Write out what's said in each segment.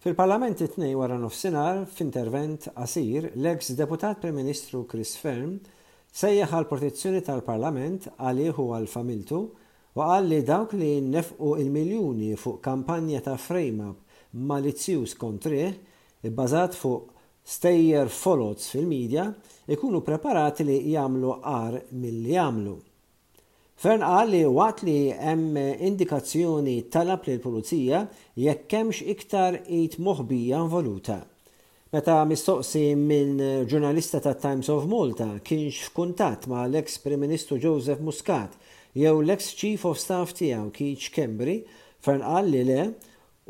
Fil-Parlament it-Tnejn waranofsinhar, f'intervent qasir, l-eks Deputat Prim Ministru Chris Fearne sejjaħ għall-protezzjoni tal-Parlament għalih u għal familtu u qal li dawk li nefqu l-miljuni fuq kampanja ta' frame-up malizzjuż kontrih ibbażat fuq stejjer foloz fil-media ikunu preparati li jagħmlu agħar milli għamlu. Fearne qal li waqt li hemm indikazzjoni talab lill-Pulizija jekk hemmx iktar id moħbija involuta. Meta mistoqsi minn ġurnalista tat-Times of Malta kienx f'kuntatt ma' l-eks Prim Ministru Joseph Muscat jew l-eks Chief of Staff tiegħu Keith Schembri, Fearne qal li le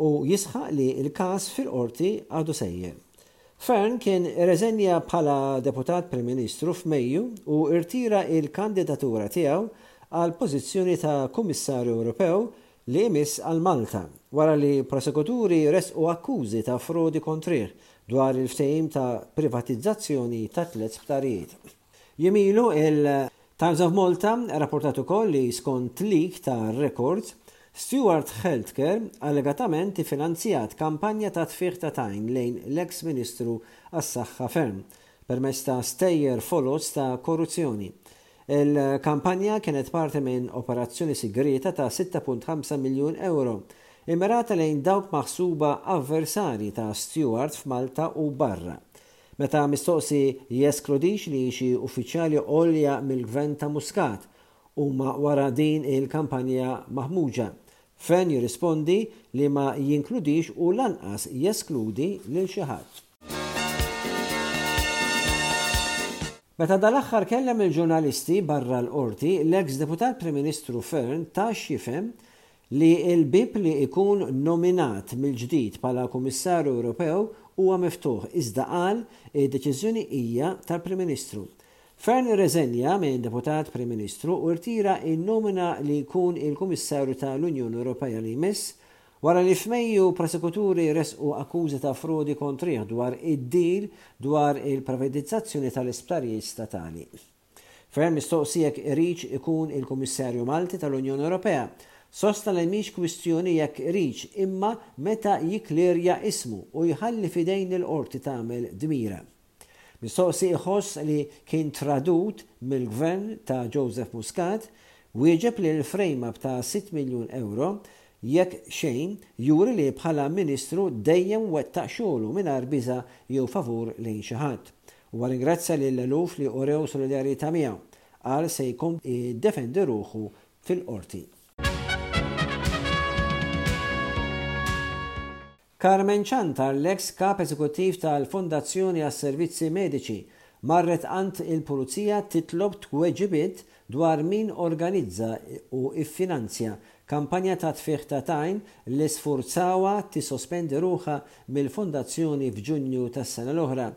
u jisħaq li l-każ fil-Qorti għadu sejjer. Fearne kien irreżenja bħala Deputat Prim Ministru f'Mejju u rtira l-kandidatura tiegħu għall-pożizzjoni ta' Kummissarju Ewropew li jmiss għal Malta, wara li prosekuturi ressqu akkużi ta' frodi kontrih dwar il-ftehim ta' privatizzazzjoni ta' tlett sptarijiet. Jiem ilu, il-Times of Malta rrapportat ukoll li skont leak ta' records, Steward Healthcare allegatament iffinanzjat kampanja ta' tfigħ ta' tajn lejn l-eks Ministru għas-Saħħa Fearne permezz ta' stejjer foloz ta' korruzzjoni. Il-kampanja kienet parti minn operazzjoni sigrieta ta' 6.5 miljun ewro, immirata lejn dawk maħsuba avversarji ta' Steward f'Malta u barra. Meta mistoqsi jeskludix li xi uffiċjali għolja mill-Gvern ta' Muscat huma wara din il-kampanja maħmuġa, Fearne jirrispondi li ma jinkludix u lanqas jeskludi lil xi ħadd. Meta dal-aħħar kellem il-ġurnalisti barra l-Qorti, l-eks Deputat Prim Ministru Fearne ta x'jifhem li l-bieb li jkun nominat mill-ġdid bħala Kummissarju Ewropew huwa miftuħ iżda qal id-deċiżjoni hija tal-Prim Ministru. Fearne irreżenja minn Deputat Prim Ministru u rtira n-nomina li jkun il-Kummissarju ta' l-Unjoni Ewropea li jmiss wara li f'Mejju prosekuturi ressqu akkużi ta' frodi kontrih dwar id-deal dwar il-privatizzazzjoni tal-isptarijiet statali. Fearne mistoqsi jekk iridx ikun il-Kummissarju Malti tal-Unjoni Ewropea, sostna li mhix kwistjoni jekk iridx imma meta jikklirja ismu u jħalli f'idejn il-Qorti tagħmel dmirha. Mistoqsi iħoss li kien tradut mill-Gvern ta' Joseph Muscat, wieġeb li l-frame-up ta' sitt miljun ewro jekk xejn juri li bħala Ministru dejjem wettaq xogħlu mingħajr biża' jew favur lejn xi ħadd. Huwa rringrazzja lill-eluf li urew solidarjetà miegħu. Qal se jkompli jiddefendi ruħu fil-Qorti. Carmen Ciantar, l-eks Kap Eżekuttiv tal-Fondazzjoni għas-Servizzi Mediċi, marret għand il-Pulizija titlob tweġibiet dwar min organizza u ffinanzja kampanja ta' tfigħ ta' tajn li sfurzawha tissospendi ruħha mill-Fondazzjoni f'Ġunju tas-sena l-oħra.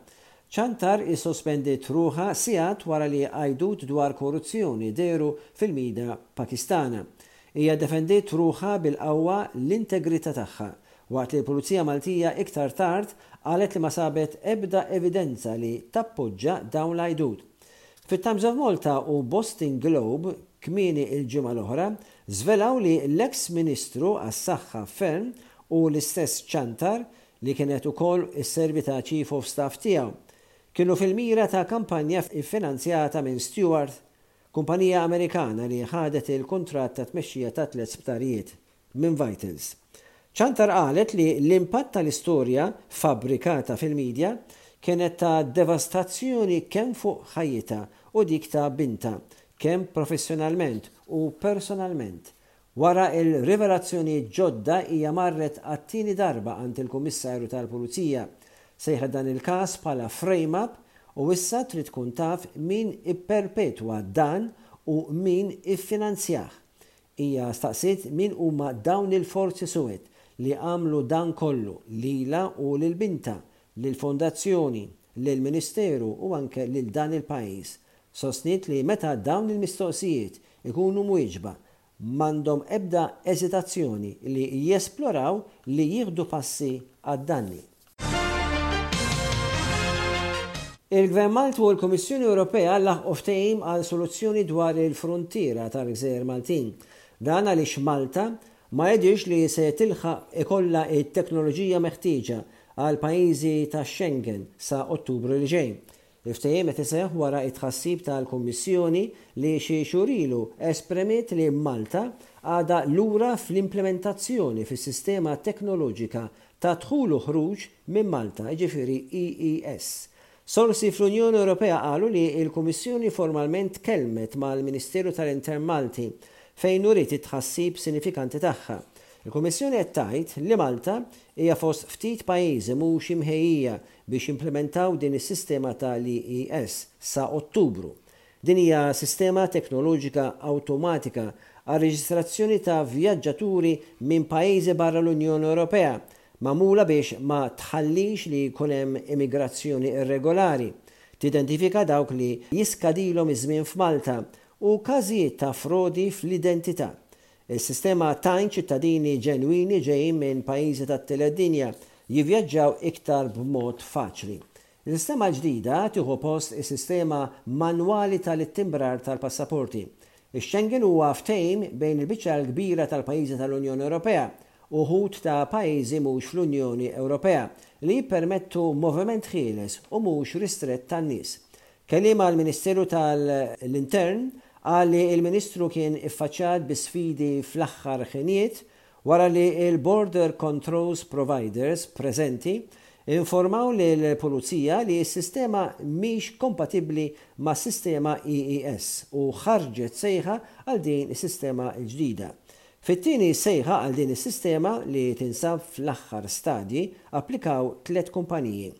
Ciantar issospendiet ruħha sigħat wara li għajdut dwar korruzzjoni dehru fil-mida Pakistana. Hija ddefendiet ruħha bil-qawwa l-integrità tagħha, waqt li l-Pulizija Maltija iktar tard qalet li ma sabet ebda evidenza li tappoġġa dawn l-għajdut. Fit-Times of Malta u Boston Globe kmieni l-ġimgħa l-oħra żvelaw li l-eks Ministru għas-Saħħa Fearne u l-istess Ciantar li kienet ukoll isservi ta' Chief of Staff tiegħu, kienu fil-mira ta' kampanja ffinanzjata minn Steward, kumpanija Amerikana li ħadet il-kuntratt ta' tmexxija ta' tlett sptarijiet minn Vitals. Ciantar qalet li l-impatt tal-istorja fabbrikata fil-media kienet ta' devastazzjoni kemm fuq ħajjitha u dik ta' bintha, kemm professjonalment u personalment. Wara l-rivelazzjonijiet ġodda hija marret għat-tieni darba għand il-Kummissarju tal-Pulizija. Sejħet dan il-każ bħala frame-up u issa trid tkun taf min ipperpetwa dan u min iffinanzjah. Hija staqsiet min huma dawn il-forzi suwed li għamlu dan kollu lilha u lil bintha, lill-Fondazzjoni, lill-Ministeru u anke lil dan il-pajjiż. Sostniet li meta dawn il-mistoqsijiet ikunu mwieġba, m'għandhom ebda eżitazzjoni li jesploraw li jieħdu passi għad-danni. Il-Gvern Malti u l-Kummissjoni Ewropea laħqu ftehim għal soluzzjoni dwar il-fruntiera tal-gżejjer Maltin. Dan għaliex Malta. ma jidhirx li se tilħaq ikollha t-teknoloġija meħtieġa għall-pajjiżi tax-Schengen sa Ottubru li ġej. Il-ftehim qed iseħħ wara t-tħassib tal-Kummissjoni li xi xhur ilu espremiet li Malta għadha lura fl-implimentazzjoni fis-sistema teknoloġika ta' dħul u ħruġ minn Malta, jiġifieri EES. Sorsi fl-Unjoni Ewropea qalu li l-Kummissjoni formalment tkellmet mal-Ministeru tal-Intern Malti fejn uriet it-tħassib sinifikanti tagħha. Il-Kummissjoni qed tgħid li Malta hija fost ftit pajjiżi mhux imħejjija biex jimplimentaw din is-sistema tal-EES sa Ottubru. Din hija sistema teknoloġika awtomatika għar-reġistrazzjoni ta' vjaġġaturi minn pajjiżi barra l-Unjoni Ewropea magħmula biex ma tħallix li jkun hemm immigrazzjoni irregolari, tidentifika dawk li jiskadilhom iż-żmien f'Malta u każijiet ta' frodi fl-identità. Is-sistema tgħin ċittadini ġenwini ġejjin minn pajjiżi tat-tielet dinja jivvjaġġaw iktar b'mod faċli. Is-sistema l-ġdida tieħu post is-sistema manwali tal-ittimbrar tal-passaporti. Ix-Schengen huwa ftehim bejn il-biċċa l-kbira tal-pajjiżi tal-Unjoni Ewropea u wħud ta' pajjiżi mhux fl-Unjoni Ewropea li jippermettu moviment ħieles u mhux ristrett tan-nies. Kelliem għall-Ministeru tal-Intern qal li l-Ministru kien iffaċċjat bi sfidi fl-aħħar ħinijiet Wara li l-Border Controls Providers preżenti informaw lill-Pulizija li s-sistema mhix kompatibbli mas-sistema EES u ħarġet sejħa għal din is-sistema l-ġdida. Fit-tieni sejħa għal din is-sistema li tinsab fl-aħħar stadji applikaw tlett kumpaniji.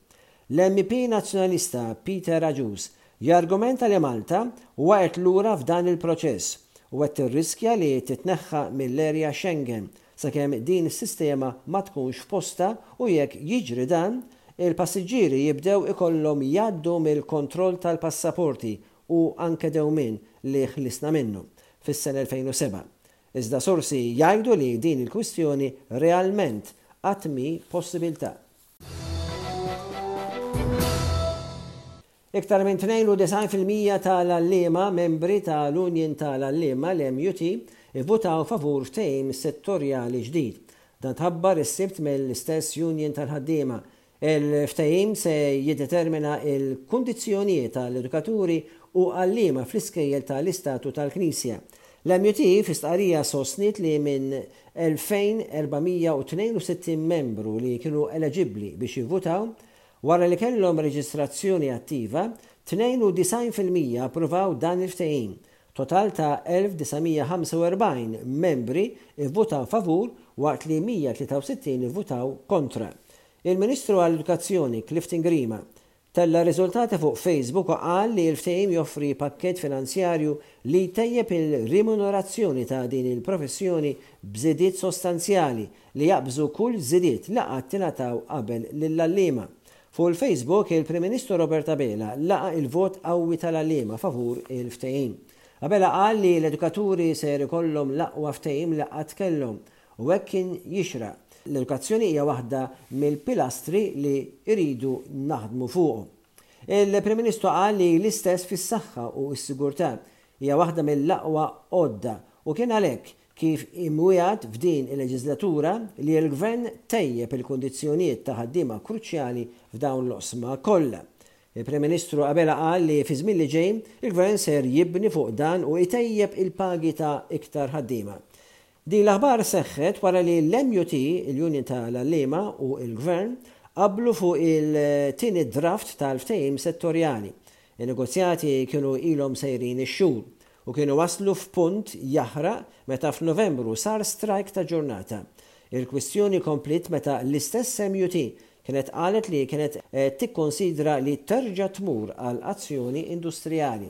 L-MEP Nazzjonalista Peter Agius jargumenta li Malta waqgħet lura f'dan il-proċess u qed tirriskja li titneħħa mill-area Schengen sakemm din is-sistema ma tkunx f'postha u jekk jiġri dan, il-passiġġieri jibdew ikollhom jgħaddu mill-kontroll tal-passaporti u anke dewmien li ħlisna minnu fis-sena 2007. Iżda sorsi jgħidu li din il-kwistjoni realment qatt mhi possibiltà. Iktar minn 92% tal-għalliema membri tal-Union tal-Għalliema, l-MUT, ivvutaw favur ftehim settorjali ġdid. Dan tħabbar is-Sibt mill-istess union tal-ħaddiema. Il-ftehim se jiddetermina l-kundizzjonijiet tal-edukaturi u għalliema fl-iskejjel tal-Istat u tal-Knisja. L-MUT fi stqarrija sostniet li minn 2,462 membru li kienu eleġibbli biex jivvutaw, wara li kellhom reġistrazzjoni attiva, 92% approvaw dan il-ftehim. Total ta' 1,945 membri vvutaw favur waqt li 163 ivvutaw kontra. Il-Ministru għall-Edukazzjoni Clifton Grima Tella' r-riżultati fuq Facebook u qal li l-ftehim joffri pakkett finanzjarju li jtejjeb il-rimunerazzjoni ta' din il-professjoni b'żidiet sostanzjali li jaqbżu kull żidiet li qatt ingħataw qabel lill-għalliema. Fuq il-Facebook, il-Prim Ministru Robert Abela laqa' il-vot qawwi tal-għalliema favur il-ftehim. Abela qal li l-edukaturi ser ikollhom l-aqwa ftehim li qatt kellhom U hekk kien jixraq. L-edukazzjoni hija waħda mill-pilastri li jridu naħdmu fuqhom. Il-Prim Ministru qal li l-istess fis-saħħa u s-sigurtà hija waħda mill-aqwa għodda u kien għalhekk kif imwiegħed f'din il-leġiżlatura li l-Gvern tejjeb il-kundizzjonijiet ta' ħaddiema kruċjali f'dawn l-oqsma kollha. Il-Prim Ministru Abela qal li fiż-żmien li ġej il-Gvern ser jibni fuq dan u jtejjeb il-pagi ta' iktar ħaddiema. Din l-aħbar seħħet wara li l-MUT, il-Union tal-Għalliema u l-Gvern qablu fuq il-tieni draft tal-ftehim settorjali. In-negozjati kienu ilhom sejrin ix-xhur u kienu waslu f'punt jaħraq meta f'Novembru sar strajk ta' ġurnata. Il-kwistjoni kompliet meta l-istess MUT kienet qalet li kienet qed tikkonsidra li terġa' tmur għal azzjoni industrijali.